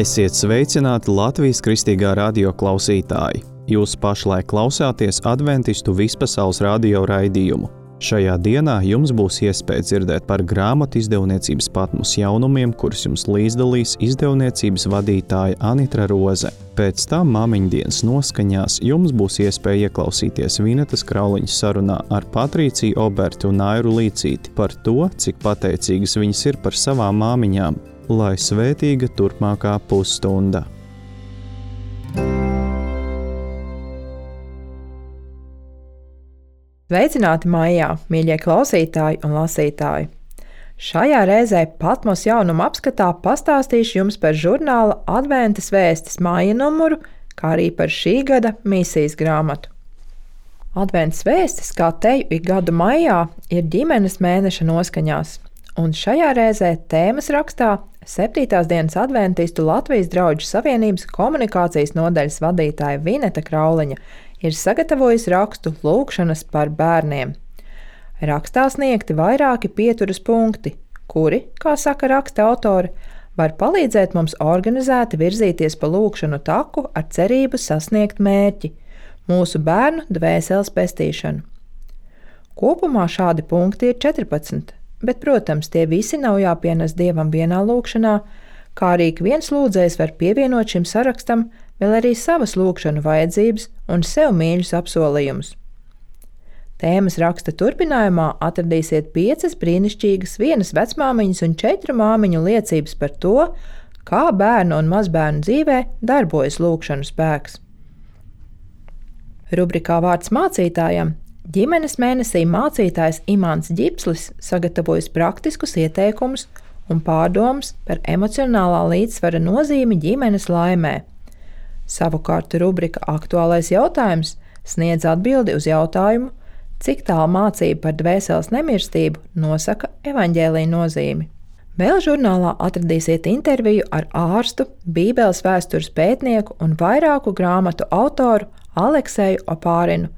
Esiet sveicināti Latvijas Kristīgā radio klausītāji! Jūs pašlaik klausāties Adventistu vispasaules radio raidījumu. Šajā dienā jums būs iespēja dzirdēt par grāmatu izdevniecības Patmos jaunumiem, kurus jums līdzdalīs izdevniecības vadītāja Anitra Roze. Pēc tam māmiņdienas noskaņās jums būs iespēja ieklausīties Vinetas Krauliņas sarunā ar Patrīciju Oberti un Airu Līcīti par to, cik pateicīgas viņas ir par savām māmiņām, lai svētīga turpmākā pusstunda. Sveicināti maijā, mīļie klausītāji un lasītāji! Šajā reizē Patmos jaunumu apskatā pastāstīšu jums par žurnāla Adventas vēstis māja numuru, kā arī par šī gada misijas grāmatu. Adventas vēstis, kā teju ik gadu maijā, ir ģimenes mēneša noskaņās, un šajā reizē tēmas rakstā 7. dienas adventistu Latvijas drauģu savienības komunikācijas nodaļas vadītāja Vineta Krauliņa ir sagatavojusi rakstu Lūgšanas par bērniem. Rakstā sniegti vairāki pieturas punkti, kuri, kā saka raksta autori, var palīdzēt mums organizēti virzīties pa lūgšanu taku ar cerību sasniegt mērķi – mūsu bērnu dvēseles pestīšanu. Kopumā šādi punkti ir 14, bet, protams, tie visi nav jāpienes Dievam vienā lūgšanā, kā arī ik viens lūdzējs var pievienot šim sarakstam vēl arī savas lūgšanu vajadzības un sev mīļus apsolījumus. Tēmas raksta turpinājumā atradīsiet 5 brīnišķīgas, 1 vecmāmiņas un 4 māmiņu liecības par to, kā bērnu un mazbērnu dzīvē darbojas lūgšanu spēks. Rubrikā Vārds mācītājam ģimenes mēnesī mācītājs Imants Ģipslis sagatavojas praktiskus ieteikumus un pārdomas par emocionālā līdzsvara nozīmi ģimenes laimē. Savukārt rubrika Aktuālais jautājums sniedz atbildi uz jautājumu, cik tālu mācība par dvēseles nemirstību nosaka evaņģēlija nozīmi. Vēl žurnālā atradīsiet interviju ar ārstu, Bībeles vēstures pētnieku un vairāku grāmatu autoru Alekseju Opārinu,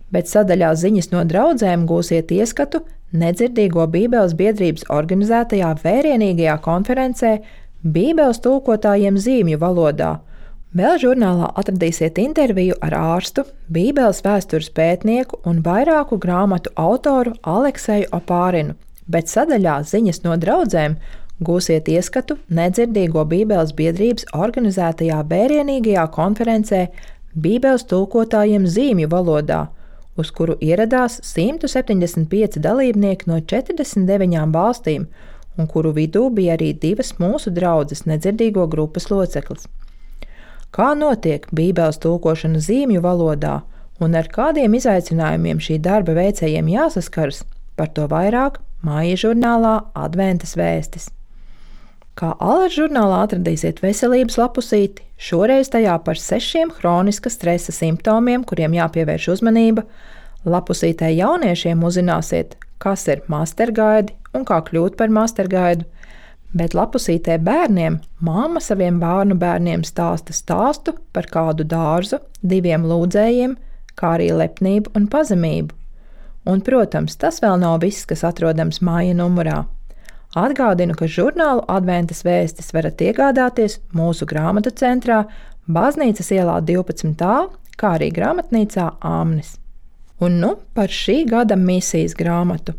bet sadaļā ziņas no draudzēm gūsiet ieskatu nedzirdīgo Bībeles biedrības organizētajā vērienīgajā konferencē Bībeles tulkotājiem zīmju valodā. Vēl žurnālā atradīsiet interviju ar ārstu, Bībeles vēstures pētnieku un vairāku grāmatu autoru Alekseju Opārinu, bet sadaļā ziņas no draudzēm gūsiet ieskatu nedzirdīgo Bībeles biedrības organizētajā vērienīgajā konferencē Bībeles tulkotājiem zīmju valodā, uz kuru ieradās 175 dalībnieki no 49 valstīm, un kuru vidū bija arī 2 mūsu draudzes nedzirdīgo grupas loceklis. Kā notiek Bībeles tulkošana zīmju valodā un ar kādiem izaicinājumiem šī darba veicējiem jāsaskaras, par to vairāk māja žurnālā Adventas vēstis. Kā Alas žurnālā atradīsiet veselības lapusīti, šoreiz tajā par 6 hroniska stresa simptomiem, kuriem jāpievērš uzmanība. Lapusītē jauniešiem uzzināsiet, kas ir mastergaidi un kā kļūt par mastergaidu. Bet lapusītē bērniem mamma saviem bērnu bērniem stāsta stāstu par kādu dārzu, 2 lūdzējiem, kā arī lepnību un pazemību. Un, protams, tas vēl nav viss, kas atrodams māja numurā. Atgādinu, ka žurnālu Adventas vēstis varat iegādāties mūsu grāmatu centrā Baznīcas ielā 12a, kā arī grāmatnīcā Āmnis. Un nu par šī gada misijas grāmatu.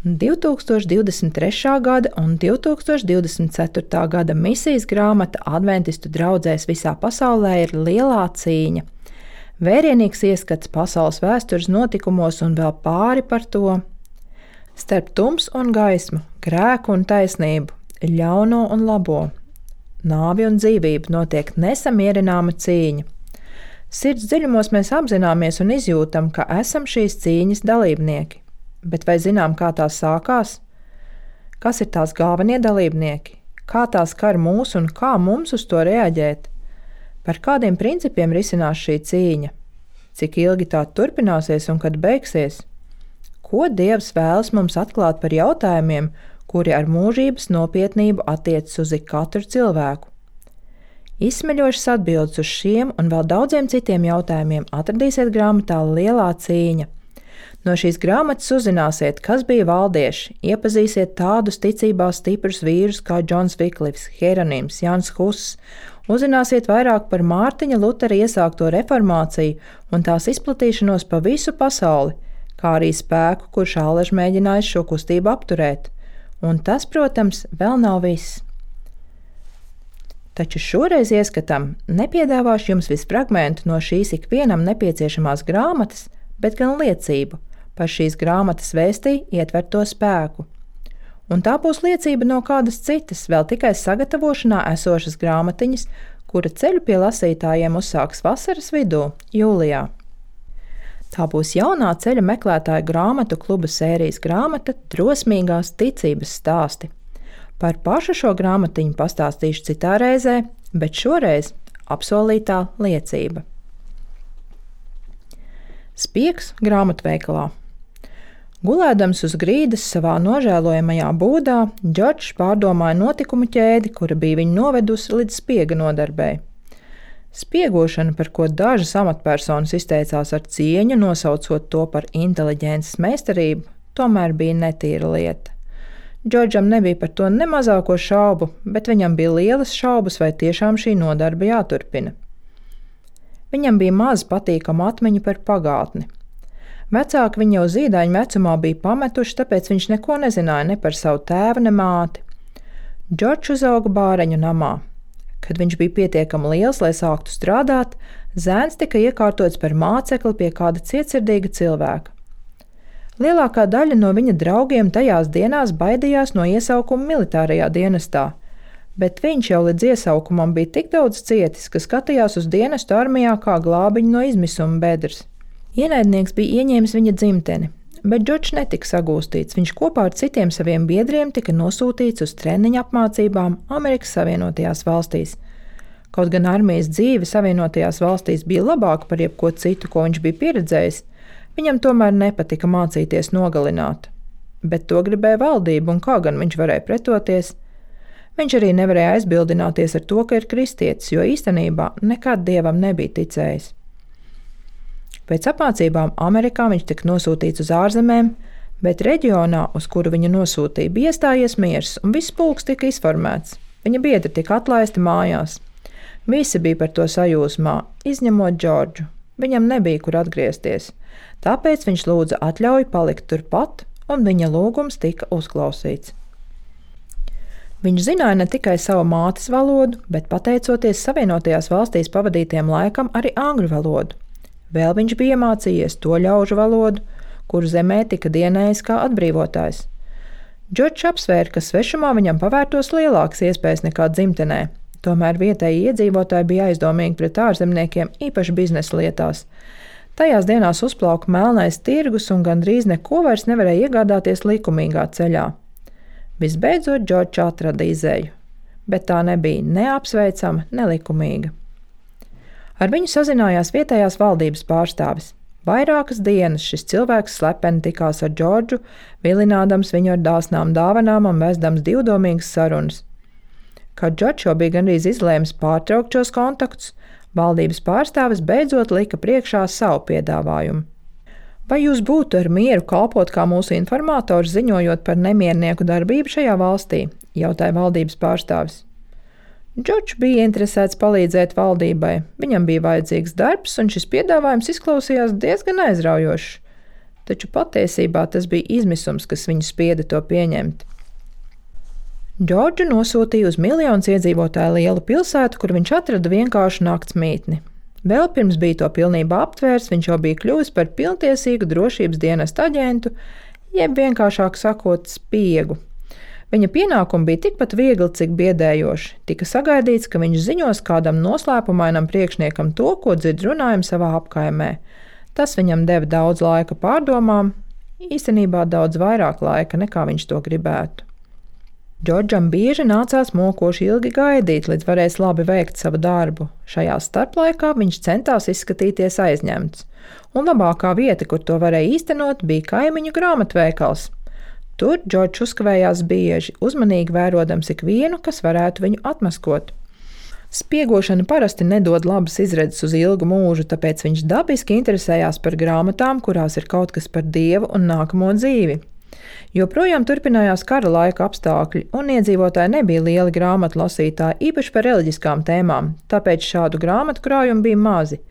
2023. gada un 2024. gada misijas grāmata adventistu draudzēs visā pasaulē ir Lielā cīņa. Vērienīgs ieskats pasaules vēstures notikumos un vēl pāri par to. Starp tums un gaismu, grēku un taisnību, ļauno un labo, nāvi un dzīvību notiek nesamierināma cīņa. Sirds dziļumos mēs apzināmies un izjūtam, ka esam šīs cīņas dalībnieki. Bet vai zinām, kā tās sākās? Kas ir tās galvenie dalībnieki? Kā tās kar mūs un kā mums uz to reaģēt? Par kādiem principiem risinās šī cīņa? Cik ilgi tā turpināsies un kad beigsies? Ko Dievs vēlas mums atklāt par jautājumiem, kuri ar mūžības nopietnību attiecas uz ikatru cilvēku? Izsmeļošas atbildes uz šiem un vēl daudziem citiem jautājumiem atradīsiet grāmatā Lielā cīņa. No šīs grāmatas uzzināsiet, kas bija valdieši, iepazīsiet tādus ticībā stiprus vīrus kā Džons Viklifs, Hieronims, Jans Huss, uzzināsiet vairāk par Mārtiņa Lutera iesākto reformāciju un tās izplatīšanos pa visu pasauli, kā arī spēku, kurš allaž mēģinājis šo kustību apturēt. Un tas, protams, vēl nav viss. Taču šoreiz ieskatam nepiedāvāšu jums visu fragmentu no šīs ikvienam nepieciešamās grāmatas, bet gan liecību par šīs grāmatas vēstī ietverto spēku. Un tā būs liecība no kādas citas, vēl tikai sagatavošanā esošas grāmatiņas, kura ceļu pie lasītājiem uzsāks vasaras vidū, jūlijā. Tā būs jaunā ceļa meklētāju grāmatu kluba sērijas grāmata Drosmīgās ticības stāsti. Par pašu šo grāmatiņu pastāstīšu citā reizē, bet šoreiz apsolītā liecība. Spiegs grāmatveikalā. Gulēdams uz grīdas savā nožēlojamajā būdā, Džordžs pārdomāja notikumu ķēdi, kura bija viņu novedusi līdz spiega nodarbei. Spiegošana, par ko dažas amatpersonas izteicās ar cieņu, nosaucot to par inteliģences meistarību, tomēr bija netīra lieta. Džordžam nebija par to ne mazāko šaubu, bet viņam bija lielas šaubas, vai tiešām šī nodarbe jāturpina. Viņam bija maz patīkama atmiņa par pagātni. Vecāki viņu jau zīdaiņu vecumā bija pametuši, tāpēc viņš neko nezināja ne par savu tēvu, ne māti. Džordžs uzauga bāreņu namā. Kad viņš bija pietiekami liels, lai sāktu strādāt, zēns tika iekārtots par mācekli pie kāda cietsirdīga cilvēka. Lielākā daļa no viņa draugiem tajās dienās baidījās no iesaukuma militārajā dienestā, bet viņš jau līdz iesaukumam bija tik daudz cietis, ka skatījās uz dienestu armijā kā glābiņu no izmisuma bedres. Ienaidnieks bija ieņēmis viņa dzimteni, bet Džordžs netika sagūstīts. Viņš kopā ar citiem saviem biedriem tika nosūtīts uz treniņu apmācībām Amerikas Savienotajās valstīs. Kaut gan armijas dzīve Savienotajās valstīs bija labāka par jebko citu, ko viņš bija pieredzējis, viņam tomēr nepatika mācīties nogalināt. Bet to gribēja valdība, un kā gan viņš varēja pretoties? Viņš arī nevarēja aizbildināties ar to, ka ir kristietis, jo īstenībā nekad dievam nebija ticējis. Pēc apmācībām Amerikā viņš tika nosūtīts uz ārzemēm, bet reģionā, uz kuru viņu nosūtīja, bija iestājies miers, un viss pulks tika izformēts. Viņa biedri tika atlaisti mājās. Visi bija par to sajūsmā, izņemot Džordžu. Viņam nebija kur atgriezties, tāpēc viņš lūdza atļauju palikt turpat, un viņa lūgums tika uzklausīts. Viņš zināja ne tikai savu mātes valodu, bet pateicoties Savienotajās valstīs pavadītiem laikam arī angļu valodu. Vēl viņš bija iemācījies to ļaužu valodu, kuru zemē tika dienējis kā atbrīvotājs. Džordžs apsvēra, ka svešumā viņam pavērtos lielākas iespējas nekā dzimtenē. Tomēr vietēji iedzīvotāji bija aizdomīgi pret ārzemniekiem, īpaši biznesa lietās. Tajās dienās uzplauka melnais tirgus un gandrīz neko vairs nevarēja iegādāties likumīgā ceļā. Visbeidzot, Džordžs atrada izēju, bet tā nebija ne apsveicama, ne likumīga. Ar viņu sazinājās vietējās valdības pārstāvis. Vairākas dienas šis cilvēks slepeni tikās ar Džordžu, vilinādams viņu ar dāsnām dāvanām un vesdams divdomīgas sarunas. Kad Džordžs jau bija gandrīz izlēmis pārtraukt šos kontaktus, valdības pārstāvis beidzot lika priekšā savu piedāvājumu. Vai jūs būtu ar mieru kalpot kā mūsu informators, ziņojot par nemiernieku darbību šajā valstī? Jautāja valdības pārstāvis. Džordžs bija interesēts palīdzēt valdībai. Viņam bija vajadzīgs darbs, un šis piedāvājums izklausījās diezgan aizraujošs. Taču patiesībā tas bija izmisums, kas viņu spieda to pieņemt. Džordžu nosūtīja uz miljonus iedzīvotāju lielu pilsētu, kur viņš atrada vienkāršu nakts mītni. Vēl pirms bija to pilnībā aptvērs, viņš jau bija kļuvis par pilntiesīgu drošības dienesta aģentu, jeb vienkāršāk sakot, spiegu. Viņa pienākumi bija tikpat viegli, cik biedējoši. Tika sagaidīts, ka viņš ziņos kādam noslēpumainam priekšniekam to, ko dzird runājumu savā apkaimē. Tas viņam deva daudz laika pārdomām, īstenībā daudz vairāk laika, nekā viņš to gribētu. Džordžam bieži nācās mokoši ilgi gaidīt, līdz varēs labi veikt savu darbu. Šajā starplaikā viņš centās izskatīties aizņemts, un labākā vieta, kur to varēja īstenot, bija kaimiņu grāmatveikals. Tur Džordžs uzkavējās bieži, uzmanīgi vērodams ikvienu, kas varētu viņu atmaskot. Spiegošana parasti nedod labas izredzes uz ilgu mūžu, tāpēc viņš dabiski interesējās par grāmatām, kurās ir kaut kas par Dievu un nākamo dzīvi. Joprojām turpinājās kara laika apstākļi, un iedzīvotāji nebija lieli grāmatu lasītāji, īpaši par reliģiskām tēmām, tāpēc šādu grāmatu krājumu bija mazi.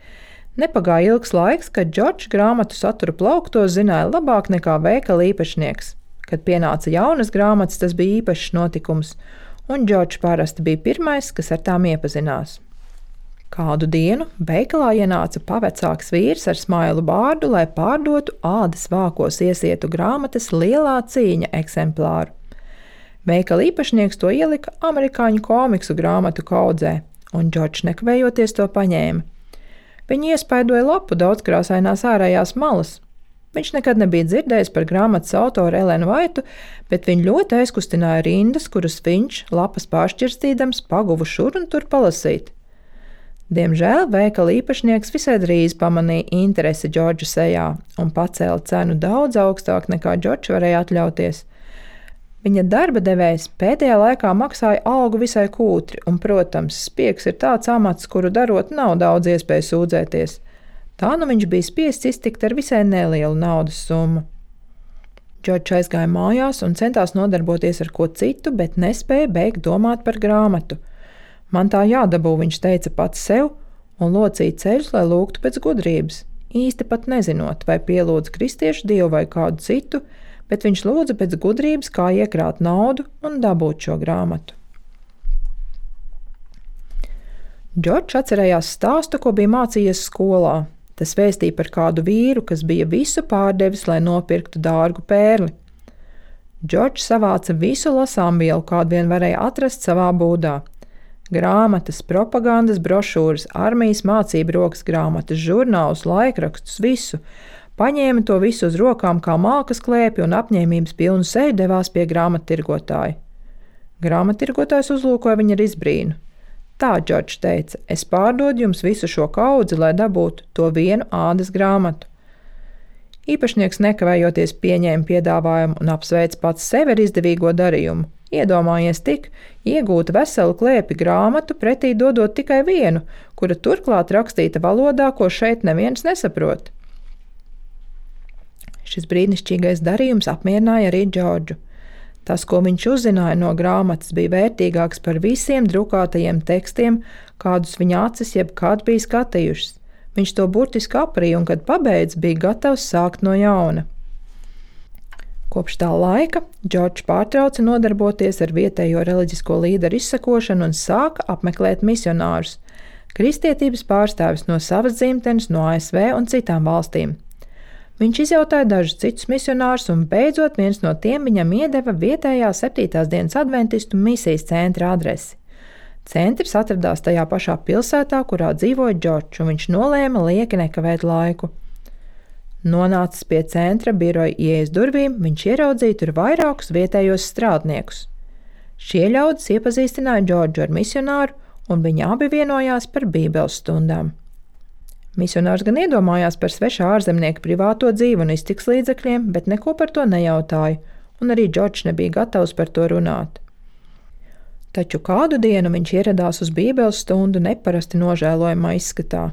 Nepagāja ilgs laiks, kad Džordžs grāmatu satura plauktos zināja labāk nekā veikala īpašnieks. Kad pienāca jaunas grāmatas, tas bija īpašs notikums, un Džordžs parasti bija pirmais, kas ar tām iepazinās. Kādu dienu veikalā ienāca pavecāks vīrs ar smailu bārdu, lai pārdotu ādas vākos iesietu grāmatas Lielā cīņa eksemplāru. Veikala īpašnieks to ielika amerikāņu komiksu grāmatu kaudzē, un Džordžs nekavējoties to paņēma. Viņu iespaidoja lapu daudzkrāsainās ārējās malas. Viņš nekad nebija dzirdējis par grāmatas autoru Elenu Vaitu, bet viņu ļoti aizkustināja rindas, kuras viņš, lapas pāršķirstīdams, paguva šur un tur palasīt. Diemžēl veikala īpašnieks visai drīz pamanīja interesi Džordža sejā un pacēla cenu daudz augstāk nekā Džordžs varēja atļauties. Viņa darba devējs pēdējā laikā maksāja algu visai kūtri, un, protams, spiegs ir tāds amats, kuru darot nav daudz iespēju sūdzēties. Tā nu viņš bija spiests iztikt ar visai nelielu naudas summu. Džordžs aizgāja mājās un centās nodarboties ar ko citu, bet nespēja beigt domāt par grāmatu. Man tā jādabū, viņš teica pats sev, un locīja ceļus, lai lūgtu pēc gudrības, īsti pat nezinot, vai pielūdz kristiešu dievu vai kādu citu, bet viņš lūdza pēc gudrības, kā iekrāt naudu un dabūt šo grāmatu. Džordžs atcerējās stāstu, ko bija mācījies skolā. Tas vēstīja par kādu vīru, kas bija visu pārdevis, lai nopirktu dārgu pērli. Džordžs savāca visu lasāmvielu, kādu vien varēja atrast savā būdā. Grāmatas, propagandas, brošūras, armijas mācību rokas grāmatas, žurnālus, laikrakstus, visu. Paņēma to visu uz rokām kā malkas klēpi un apņēmības pilnu seju devās pie grāmattirgotāja. Grāmattirgotājs uzlūkoja viņu ar izbrīnu. Tā, Džordžs teica, es pārdodu jums visu šo kaudzi, lai dabūtu to vienu ādas grāmatu. Īpašnieks nekavējoties pieņēma piedāvājumu un apsveica pats sevi ar izdevīgo darījumu. Iedomājies tik, iegūta veselu klēpi grāmatu, pretī dodot tikai vienu, kura turklāt rakstīta valodā, ko šeit neviens nesaprot. Šis brīnišķīgais darījums apmierināja arī Džordžu. Tas, ko viņš uzzināja no grāmatas, bija vērtīgāks par visiem drukātajiem tekstiem, kādus viņa acis jebkad bija skatījušas. Viņš to burtiski aprīja un, kad pabeidz, bija gatavs sākt no jauna. Kopš tā laika Džordžs pārtrauca nodarboties ar vietējo reliģisko līderu izsekošanu un sāka apmeklēt misionārus, kristietības pārstāvis no savas dzimtenes, no ASV un citām valstīm. Viņš izjautāja dažus citus misionārus un beidzot viens no tiem viņam iedeva vietējā 7. dienas adventistu misijas centra adresi. Centrs atradās tajā pašā pilsētā, kurā dzīvoja Džordžs, un viņš nolēma lieki nekavēt laiku. Nonācis pie centra biroja ieejas durvīm, viņš ieraudzīja tur vairākus vietējos strādniekus. Šie ļaudis iepazīstināja Džordžu ar misionāru, un viņi abi vienojās par bībeles stundām. Misionārs gan iedomājās par svešā ārzemnieka privāto dzīvi un iztiks līdzekļiem, bet neko par to nejautāja, un arī Džordžs nebija gatavs par to runāt. Taču kādu dienu viņš ieradās uz bībeles stundu neparasti nožēlojamā izskatā.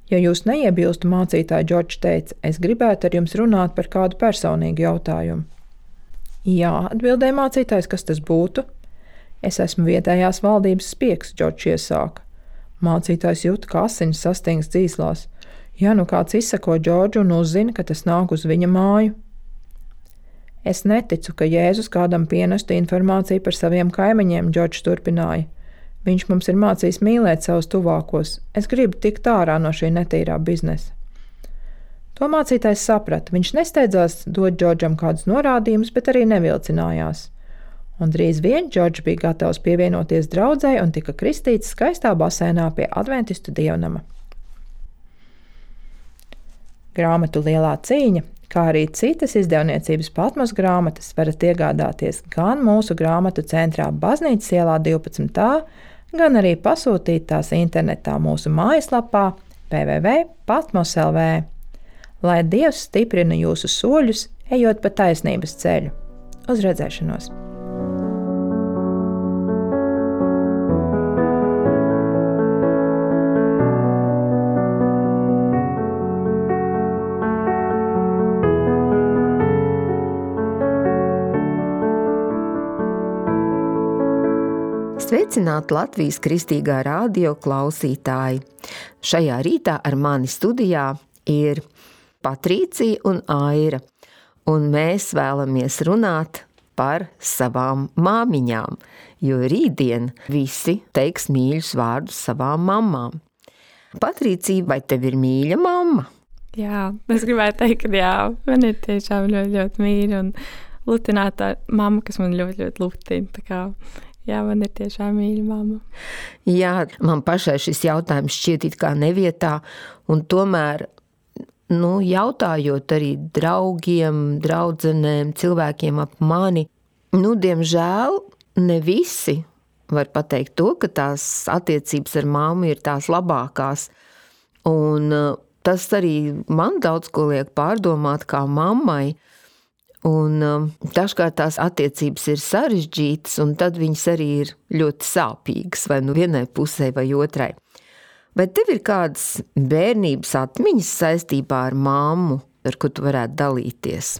Ja jūs neiebilstu, mācītāji, Džordžs teica, es gribētu ar jums runāt par kādu personīgu jautājumu. Jā, atbildēja mācītājs, kas tas būtu? Es esmu vietējās valdības spiegs, Džordžs iesāka. Mācītājs jūta, ka asinis sastingst dzīslās. Ja nu kāds izsako Džordžu un uzzina, ka tas nāk uz viņa māju. Es neticu, ka Jēzus kādam pienestu informāciju par saviem kaimiņiem, Džordžs turpināja. Viņš mums ir mācījis mīlēt savus tuvākos. Es gribu tikt ārā no šī netīrā biznesa. To mācītājs saprata. Viņš nesteidzās dot Džordžam kādus norādījumus, bet arī nevilcinājās. Un drīz vien Džordžs bija gatavs pievienoties draudzei un tika kristīts skaistā basēnā pie adventistu dievnama. Grāmatu Lielā cīņa, kā arī citas izdevniecības Patmos grāmatas, varat iegādāties gan mūsu grāmatu centrā Baznīcas ielā 12. gan arī pasūtīt tās internetā mūsu mājaslapā www.patmos.lv. Lai Dievs stiprina jūsu soļus, ejot pa taisnības ceļu. Uz redzēšanos! Sveicināti Latvijas Kristīgā radio klausītāji! Šajā rītā ar mani studijā ir Patricija un Aira, un mēs vēlamies runāt par savām māmiņām, jo rītdien visi teiks mīļus vārdus savām mammām. Patricija, vai tev ir mīļa mamma? Jā, es gribētu teikt, ka jā, man ir tiešām ļoti, ļoti mīļa un lutināta mamma, kas man ļoti, ļoti lutina, tā kā jā, man ir tiešām mīļa mamma. Jā, man pašai šis jautājums šķiet it kā nevietā, un tomēr, jautājot arī draugiem, draudzenēm, cilvēkiem ap mani, diemžēl ne visi var pateikt to, ka tās attiecības ar mammu ir tās labākās, un tas arī man daudz ko liek pārdomāt kā mammai, un dažkārt tās attiecības ir sarežģītas, un tad viņas arī ir ļoti sāpīgas, vai vienai pusē vai otrai. Vai tev ir kādas bērnības atmiņas saistībā ar mammu, ar ko tu varētu dalīties?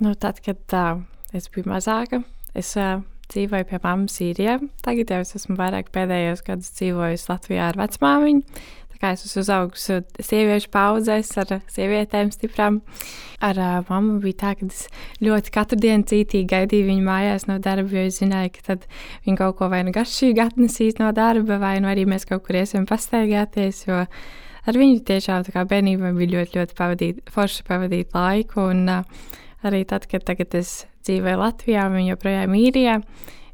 Tad, kad es biju mazāka, es dzīvoju pie mammas Sīrijā. Tagad jau es esmu vairāk pēdējos gadus dzīvojusi Latvijā ar vecmāmiņu. Es esmu uzaugusi sieviešu paudzēs ar sievietēm stiprām. Ar mammu bija tā, ka es ļoti katru dienu cītīgi gaidīju viņu mājās no darba, jo es zināju, ka tad viņa kaut ko vai garšīgi atnesīs no darba, vai arī mēs kaut kur iesim pastaigāties, jo ar viņu tiešām tā kā bērnībā bija ļoti, ļoti forši pavadīt laiku, un arī tad, kad tagad es dzīvoju Latvijā, un viņa joprojām Īrijā,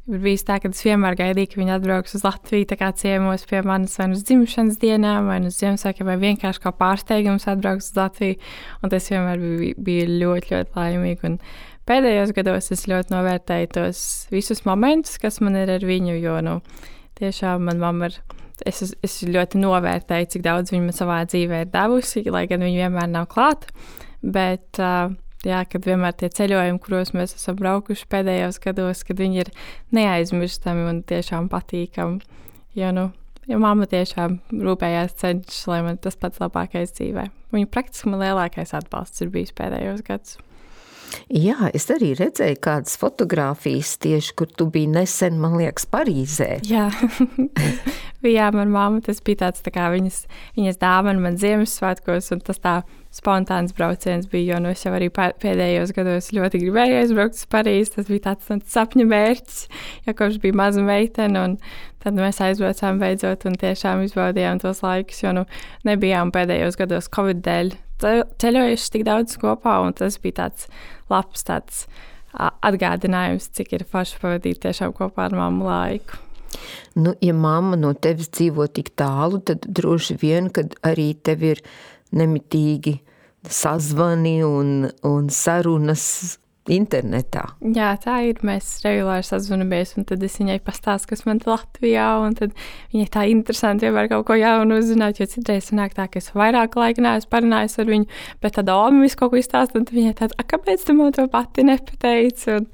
ir bijis tā, ka es vienmēr gaidīju, ka viņi atbrauks uz Latviju, tā kā ciemos pie manis vai uz dzimšanas dienām, vai uz Ziemassvētkiem, vai vienkārši kā pārsteigums atbrauks uz Latviju, un tas vienmēr bija ļoti, ļoti laimīgi, un pēdējos gados es ļoti novērtēju tos visus momentus, kas man ir ar viņu, jo, tiešām man mamma es ļoti novērtēju, cik daudz viņa man savā dzīvē ir devusi, lai gan viņa vienmēr nav klāt, bet jā, kad vienmēr tie ceļojumi, kuros mēs esam braukuši pēdējos gados, kad viņi ir neaizmirstami un tiešām patīkami. Jo mamma tiešām rūpējās cenšas, lai man tas pats labākais dzīvē. Viņa praktiski man lielākais atbalsts ir bijis pēdējos gadus. Jā, es arī redzēju kādas fotogrāfijas tieši, kur tu biji nesen, man liekas, Parīzē. Jā, jā, man mamma, tas bija tāds tā kā viņas dāvana man Ziemassvētkos, un tas tā spontāns brauciens bija, jo es jau arī pēdējos gados ļoti gribēju aizbraukt uz Parīzi, tas bija tāds sapņa mērķis, jo kopš bija maza meitene, un tad mēs aizbraucām beidzot un tiešām izbaudījām tos laikus, jo nebijām pēdējos gados Covid dēļ ceļojuši tik daudz kopā, un tas bija tāds labs atgādinājums, cik ir forši pavadīt tiešām kopā ar mammu laiku. Ja mamma no tevis dzīvo tik tālu, tad droši vien, kad arī tev ir nemitīgi sazvani un sarunas internetā. Jā, tā ir. Mēs regulāri sazvanamies, un tad es viņai pastāstu, kas man Latvijā, un tad viņai tā interesanti vienmēr kaut ko jaunu uzzināt, jo citreiz sanāk tā, ka es vairāk laika neesmu parunājis ar viņu, bet tad Omi visu kaut ko izstāst, un viņai tāda, kāpēc tu man to pati nepateici? Un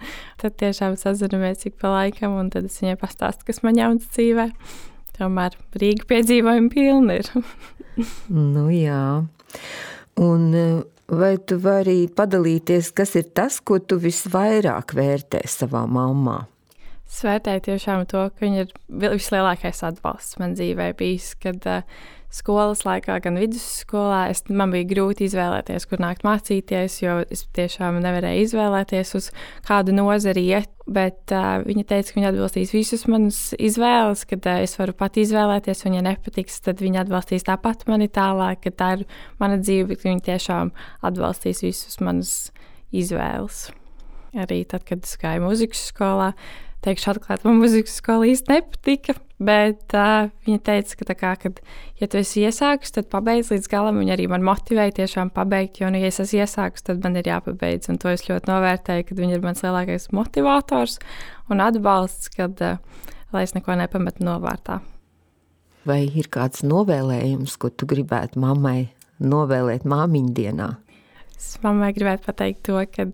tad tiešām sazvanamies cik pa laikam, un tad es viņai pastāstu, kas man jauns dzīvē. Tomēr Rīga piedzīvojumi pilni ir. Jā. Un vai tu vari padalīties, kas ir tas, ko tu visvairāk vērtē savā mammā? Es vērtēju tiešām to, ka viņa ir vislielākais atbalsts man dzīvē bijis, kad skolas laikā, gan vidusskolā, man bija grūti izvēlēties, kur nākt mācīties, jo es tiešām nevarēju izvēlēties uz kādu nozari iet, bet viņa teica, ka viņa atbalstīs visus manus izvēles, kad es varu pat izvēlēties, un ja nepatiks, tad viņa atbalstīs tāpat mani tālāk, ka tā ir mana dzīve, bet viņa tiešām atbalstīs visus manus izvēles. Arī tad, kad es gāju mūzikas skolā, teikšu atklāt, man mūzikas skola īsti nepatika, bet viņa teica, ka kad, ja tu esi iesākus, tad pabeidz līdz galam, viņa arī man motivēja tiešām pabeigt, jo, ja es esmu iesākus, tad man ir jāpabeidz, un to es ļoti novērtēju, kad viņa ir mans lielākais motivators un atbalsts, kad, lai es neko nepametu novārtā. Vai ir kāds novēlējums, ko tu gribētu mammai novēlēt māmiņu dienā? Es mammai gribētu pateikt to, ka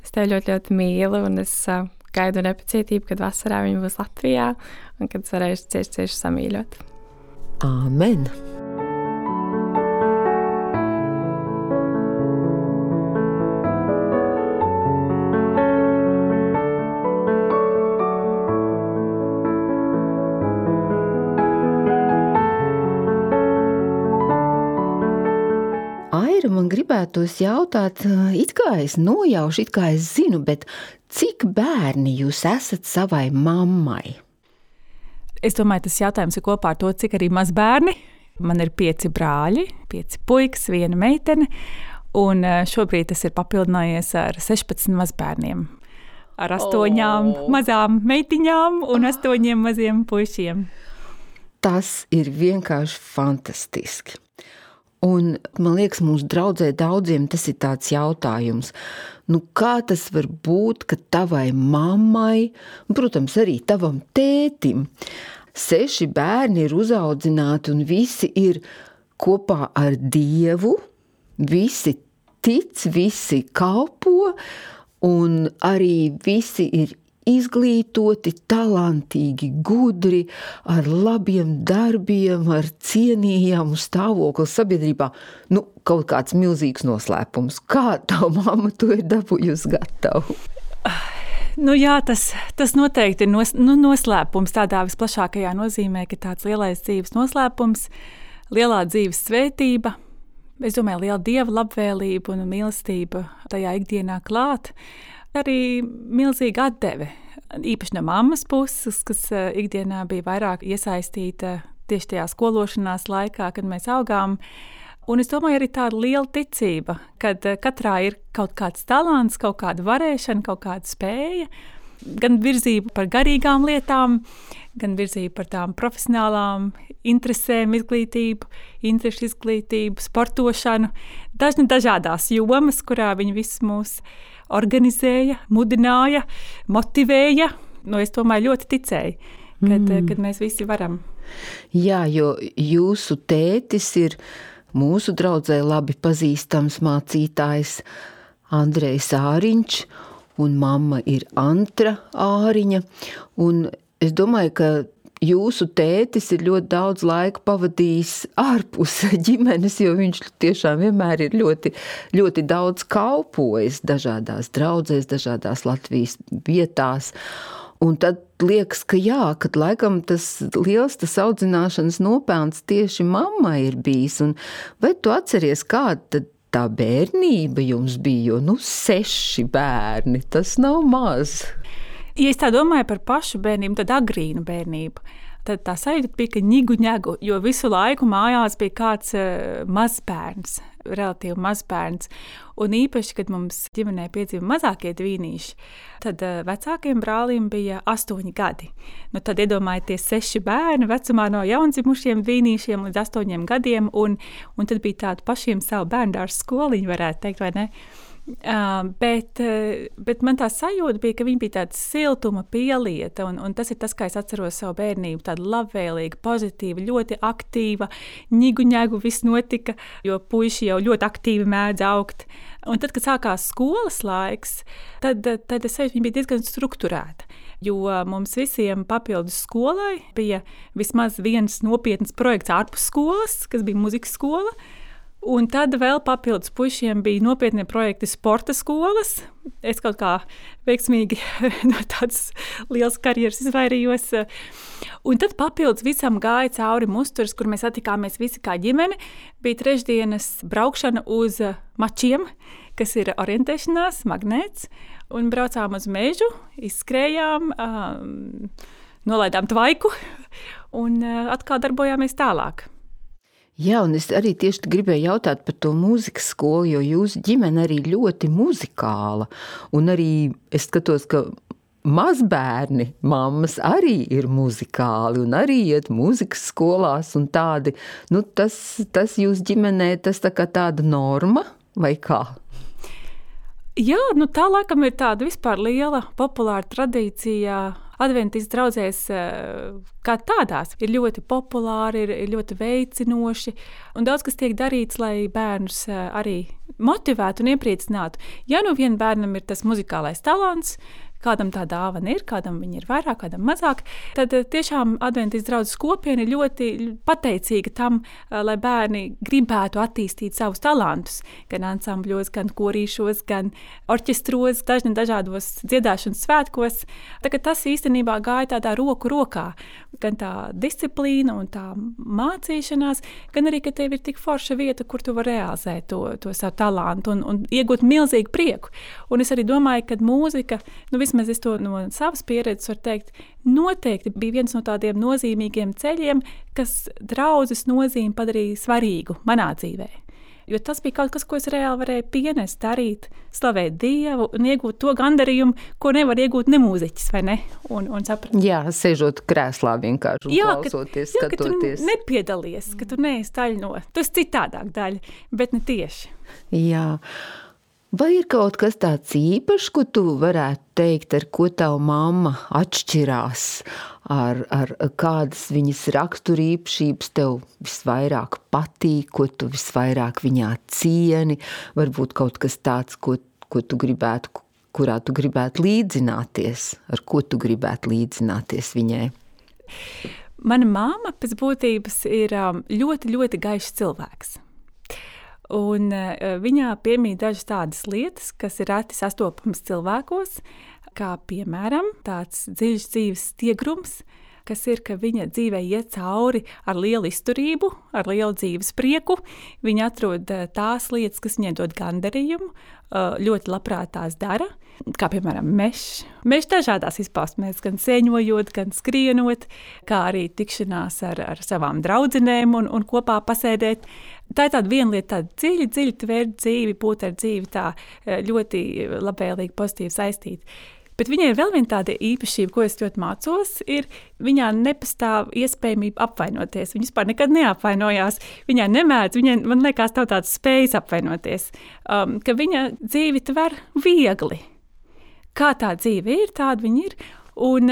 es tevi ļoti, ļoti mīlu, un es gaidu nepacietību, kad vasarā viņa būs Latvijā un kad es varēšu cieši samīļot. Āmen! Aira, man gribētos jautāt, it kā es nojaušu, it kā es zinu, bet cik bērni jūs esat savai mammai? Es domāju, tas jautājums ir kopā ar to, cik arī mazbērni. Man ir 5 brāļi, 5 puikas, 1 meitene, un šobrīd tas ir papildinājies ar 16 mazbērniem. Ar 8 mazām meitiņām un 8 maziem puišiem. Tas ir vienkārši fantastiski. Un, man liekas, mūsu draudzē daudziem tas ir tāds jautājums. Kā tas var būt, ka tavai mammai, protams, arī tavam tētim, 6 bērni ir uzaudzināti un visi ir kopā ar Dievu, visi tic, visi kalpo un arī visi ir izglītoti, talantīgi, gudri, ar labiem darbiem, ar cienījamu stāvokli sabiedrībā. Kaut kāds milzīgs noslēpums. Kā tava mamma to ir dabūjusi gatavu? Jā, tas noteikti ir noslēpums tādā visplašākajā nozīmē, ka tāds lielais dzīves noslēpums, lielā dzīves svētība, es domāju, liela Dieva labvēlība un mīlestība tajā ikdienā klāt. Arī milzīga atdeve, īpaši no mammas puses, kas ikdienā bija vairāk iesaistīta tieši tajā skološanās laikā, kad mēs augām. Un es domāju, arī tāda liela ticība, kad katrā ir kaut kāds talants, kaut kāda varēšana, kaut kāda spēja, gan virzība par garīgām lietām, gan virzība par tām profesionālām interesēm, izglītību, interešu izglītību, sportošanu, dažādās jomas, kurā viņi visus mūs organizēja, mudināja, motivēja. Es domāju, ļoti ticēju, kad mēs visi varam. Jā, jo jūsu tētis ir mūsu draudzē labi pazīstams mācītājs Andrejs Āriņš, un mamma ir Antra Āriņa. Un es domāju, ka jūsu tētis ir ļoti daudz laika pavadījis ārpus ģimenes, jo viņš tiešām vienmēr ir ļoti, ļoti daudz kalpojis dažādās draudzēs, dažādās Latvijas vietās. Un tad liekas, ka kad laikam tas liels audzināšanas nopelns tieši mammai ir bijis. Un vai tu atceries, kāda tā bērnība jums bija? Jo 6 bērni, tas nav maz. Ja es tā domāju par pašu bērnību, tad agrīnu bērnību, tad tā sajūta bija, ka ņigu, jo visu laiku mājās bija kāds mazbērns, relatīvi mazbērns. Un īpaši, kad mums ģimenē piedzima mazākie dvīnīši, tad vecākiem brālim bija 8 gadi. Tad iedomājieties 6 bērni vecumā no jaundzimušiem dvīnīšiem līdz 8 gadiem, un tad bija tāda pašiem savu bērndārzu skoliņu, varētu teikt, vai ne? Bet man tā sajūta bija, ka viņa bija tāda siltuma pielieta, un tas ir tas, kā es atceros savu bērnību, tāda labvēlīga, pozitīva, ļoti aktīva, ņigu, viss notika, jo puiši jau ļoti aktīvi mēdz augt. Un tad, kad sākās skolas laiks, tad es sajūtu, viņa bija diezgan strukturēta, jo mums visiem papildus skolai bija vismaz viens nopietns projekts ārpus skolas, kas bija muzikas skola. Un tad vēl papildus puišiem bija nopietni projekti sporta skolas. Es kaut kā veiksmīgi no tādas lielas karjeras izvairījos. Un tad papildus visam gāja cauri Musturas, kur mēs satikāmies visi kā ģimene. Bija trešdienas braukšana uz mačiem, kas ir orientēšanās, magnēts. Un braucām uz mežu, izskrējām, nolaidām tvaiku un atkal darbojāmies tālāk. Jā, un es arī tieši gribēju jautāt par to mūzikas skolu, jo jūsu ģimene arī ļoti muzikāla. Un arī es skatos, ka mazbērni, mammas arī ir muzikāli un arī iet mūzikas skolās un tādi. Tas jūsu ģimenē, tas tā kā tāda norma vai kā? Jā, tā laikam ir tāda vispār liela populāra tradīcija. Adventistu draudzēs kā tādās ir ļoti populāri, ir ļoti veicinoši, un daudz kas tiek darīts, lai bērnus arī motivētu un iepriecinātu. Ja vienam bērnam ir tas muzikālais talants, kādam tā dāvana ir, kādam viņa ir vairāk, kādam mazāk, tad tiešām adventistu draudzes kopiena ir ļoti pateicīga tam, lai bērni gribētu attīstīt savus talantus, gan ansambļos, gan korīšos, gan orķestros, dažādos dziedāšanas svētkos. Tagad tas īstenībā gāja tādā roku rokā, gan tā disciplīna un tā mācīšanās, gan arī, ka tev ir tik forša vieta, kur tu vari realizēt to savu talantu un iegūt milzīgu prieku. Un es arī domāju, ka mūzika, vismaz es to no savas pieredzes varu teikt, noteikti bija viens no tādiem nozīmīgiem ceļiem, kas draudzes nozīmi padarīja svarīgu manā dzīvē. Jo tas bija kaut kas, ko es reāli varēju pienest, darīt, slavēt Dievu un iegūt to gandarījumu, ko nevar iegūt nemūziķis, vai ne? Un saprast. Jā, sēžot krēslā vienkārši un klausoties, skatoties. Ka tu nepiedalies, ka tu neesi daļa no. Tas citādāk daļa, bet ne tieši. Jā. Vai ir kaut kas tāds īpašs, ko tu varētu teikt, ar ko tava mamma atšķirās, ar kādas viņas raksturīpašības tev visvairāk patīk, ko tu visvairāk viņā cieni, varbūt kaut kas tāds, ko tu gribētu, kurā tu gribētu līdzināties, ar ko tu gribētu līdzināties viņai? Mana mamma pēc būtības ir ļoti, ļoti gaišs cilvēks. Un viņā piemīt dažas tādas lietas, kas ir reti sastopamas cilvēkos, kā piemēram tāds dziļš dzīves stiegrums, kas ir, ka viņa dzīvē iet cauri ar lielu izturību, ar lielu dzīves prieku. Viņa atrod tās lietas, kas viņai dod gandarījumu, ļoti labprāt tās dara, kā piemēram mežs. Mežs dažādās izpausmēs, gan sēņojot, gan skrienot, kā arī tikšanās ar savām draudzenēm un kopā pasēdēt. Tā ir tāda viena lieta, tāda dziļi tvērt dzīvi, būt ar dzīvi tā ļoti labvēlīgi, pozitīvi saistīta. Bet viņai ir vēl viena tāda īpašība, ko es ļoti mācos, ir viņā nepastāv iespējamība apvainoties. Viņa vispār nekad neapvainojās, viņai nemēdz, man liekas, tā tāds spējas apvainoties, ka viņa dzīvi tver viegli. Kā tā dzīve ir, tāda viņa ir. Un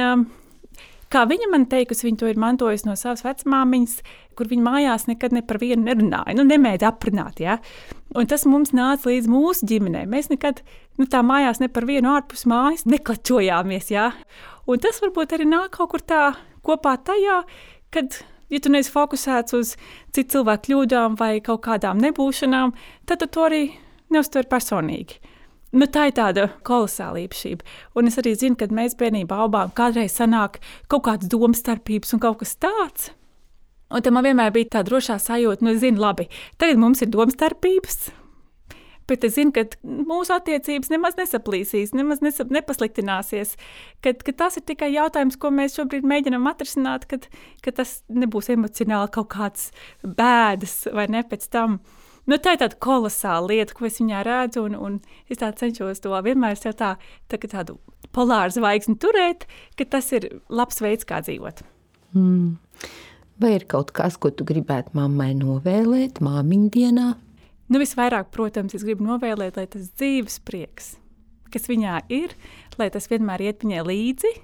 kā viņa man teikusi, viņa to ir mantojusi no savas vecmāmiņas, kur viņa mājās nekad ne par vienu nerunāja, nemēdz aprunāt, ja? Un tas mums nāca līdz mūsu ģimenē. Mēs nekad tā mājās ne par vienu ārpus mājas neklačojāmies, ja? Un tas varbūt arī nāk kaut kur tā kopā tajā, kad, ja tu neesi fokusēts uz citu cilvēku kļūdām vai kaut kādām nebūšanām, tad tu to arī neuztver personīgi. Tā ir tāda kolosāla īpašība. Un es arī zinu, kad mēs bērnībā aubām kādreiz sanāk kaut kādas domstarpības un kaut kas tāds. Un tam man vienmēr bija tā drošā sajūta, es zinu, labi, tagad mums ir domstarpības, bet es zinu, ka mūsu attiecības nemaz nesaplīsīs, nemaz nepasliktināsies, ka tas ir tikai jautājums, ko mēs šobrīd mēģinām atrisināt, ka tas nebūs emocionāli kaut kāds bēdas vai ne pēc tam. Tā ir tāda kolosāla lieta, ko es viņā redzu, un es tā cenšos to vienmēr sev tādu polāru zvaigzni turēt, ka tas ir labs veids, kā dzīvot. Vai ir kaut kas, ko tu gribētu mammai novēlēt māmiņu dienā? Visvairāk, protams, es gribu novēlēt, lai tas dzīves prieks, kas viņā ir, lai tas vienmēr iet viņai līdzi,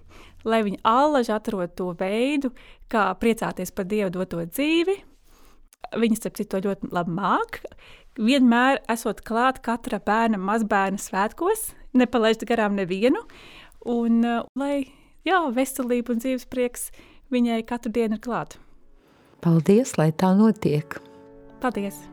lai viņa allaž atrod to veidu, kā priecāties par Dievu doto dzīvi. Viņa, starp citu, to ļoti labi māk. Vienmēr esot klāt katra bērna, mazbērna svētkos, nepalaist garām nevienu. Un lai, veselība un dzīves prieks viņai katru dienu ir klāt. Paldies, lai tā notiek. Paldies!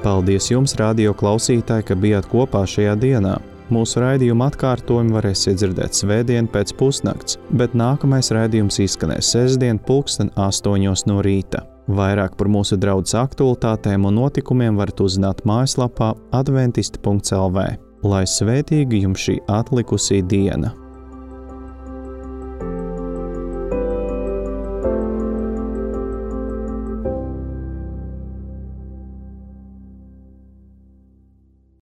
Paldies jums, radio klausītāji, ka bijāt kopā šajā dienā. Mūsu raidījuma atkārtojumu varēsiet dzirdēt svētdien pēc pusnakts, bet nākamais raidījums izskanēs sestdien 8:00 no rīta. Vairāk par mūsu draudzes aktualitātēm un notikumiem varat uzzināt mājaslapā adventisti.lv. Lai svētīga jums šī atlikusī diena!